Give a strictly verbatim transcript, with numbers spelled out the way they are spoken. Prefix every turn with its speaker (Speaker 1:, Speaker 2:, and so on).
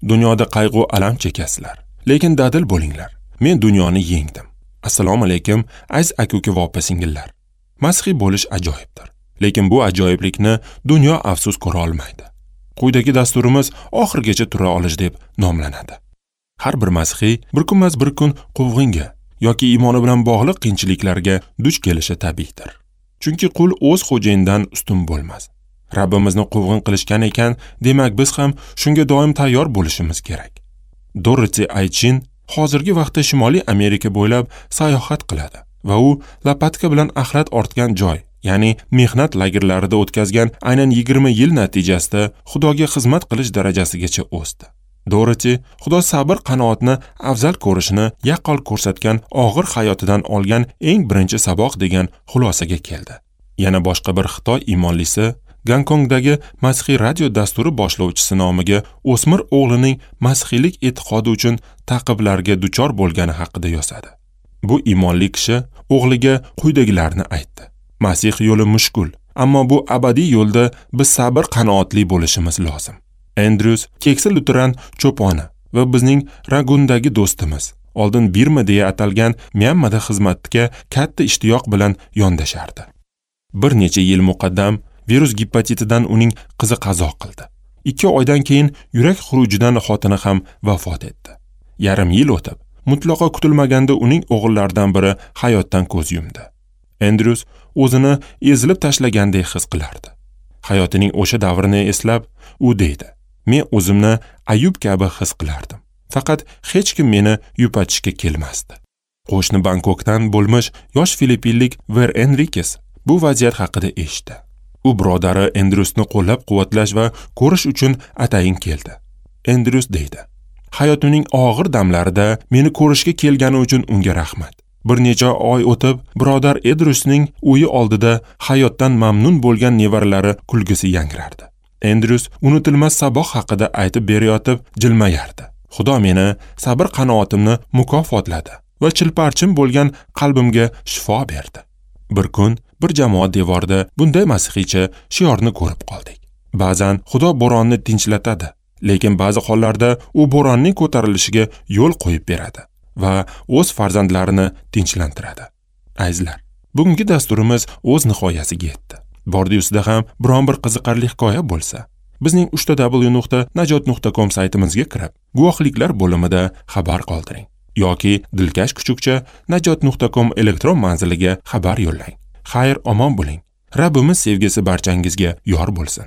Speaker 1: Dunyoda qayg'u alam chekasizlar, lekin dadil bo'linglar. Men dunyoni yengdim. Assalomu alaykum, aziz aka-uka va opa-singillar. Masihiy bo'lish ajoyibdir, lekin bu ajoyiblikni dunyo afsus ko'ra olmaydi. Quyidagi dasturimiz oxirigacha tura olish deb nomlanadi. Har bir masihiy bir kunmas bir kun quvg'inga yoki iymoni bilan bog'liq qiyinchiliklarga duch kelishi tabiiydir. Chunki qul o'z xo'jayinidan ustun bo'lmas. Rabbimizni quvg'in qilishgan ekan, demak biz ham shunga doim tayyor bo'lishimiz kerak. Dorothy Aychin hozirgi vaqtda Shimoliy Amerika bo'ylab sayohat qiladi va u lapatka bilan axlat ortgan joy, ya'ni mehnat lagerlarida o'tkazgan aynan yigirma yil natijasida Xudoga xizmat qilish darajasigacha o'sdi. Dorothy Xudo sabr qanoatni afzal ko'rishini yaqqol ko'rsatgan og'ir hayotidan olgan eng birinchi saboq degan xulosaga keldi. Yana boshqa bir Xitoy iymonlisi Gonkongdagi masihiy radio dasturi boshlovchisi nomiga o'smir o'g'lining masihiylik e'tiqodi uchun ta'qiblarga duchor bo'lgani haqida yozadi. Bu iymonli kishi o'g'liga quyidagilarni aytdi: Masih yo'li mushkul, ammo bu abadiy yo'lda biz sabr qanoatli bo'lishimiz lozim. Andrews keksa luteran cho'poni va bizning Ragundagi do'stimiz, oldin Birma deya atalgan Myanmada xizmatga katta ishtiyoq bilan yondashardi. Bir necha yil muqaddam virus gepatitidan uning qizi qazo qildi. Ikki oydan keyin yurak xurujidan xotini ham vafot etdi. Yarim yil o'tib, mutlaqo kutilmaganda uning o'g'illaridan biri hayotdan ko'z yumdi. Andrews o'zini ezilib tashlagandek his qilardi. Hayotining o'sha davrini eslab, u deydi: Men o'zimni Ayub kabi his qilardim. Faqat hech kim meni yupatishga kelmasdi. Qo'shni Bangkokdan bo'lmish yosh filippinlik Ver Enriquez bu vaziyat haqida eshitdi. U birodari Andrewsni qo'llab-quvvatlash va ko'rish uchun atayin keldi. Andrews deydi: Hayotimning og'ir damlarida meni ko'rishga kelgani uchun unga rahmat. Bir necha oy o'tib, birodar Andrewsning uyi oldida hayotdan mamnun bo'lgan nevaralari kulgisi yangrardi. Andrews unutilmas saboq haqida aytib berayotib jilmayardi. Xudo meni sabr qanoatimni mukofotladi va chilparchin bo'lgan qalbimga shifo berdi. Bir kun bir jamoat devorida bunday masihiycha shiorni ko'rib qoldik. Ba'zan Xudo bo'ronni tinchlatadi, lekin ba'zi hollarda u bo'ronning ko'tarilishiga yo'l qo'yib beradi va o'z farzandlarini tinchlantiradi. Azizlar, bugungi dasturimiz o'z nihoyasiga yetdi. Bordi-ustida ham biron bir qiziqarli hikoya bo'lsa, bizning uchta w nuqta najot nuqta com saytimizga kirib, guvohliklar bo'limida xabar qoldiring yoki dilkash kuchukcha najot nuqta com elektron manziliga xabar yo'llang. Xayr, omon bo'ling. Rabbimiz sevgisi barchangizga yor bo'lsin.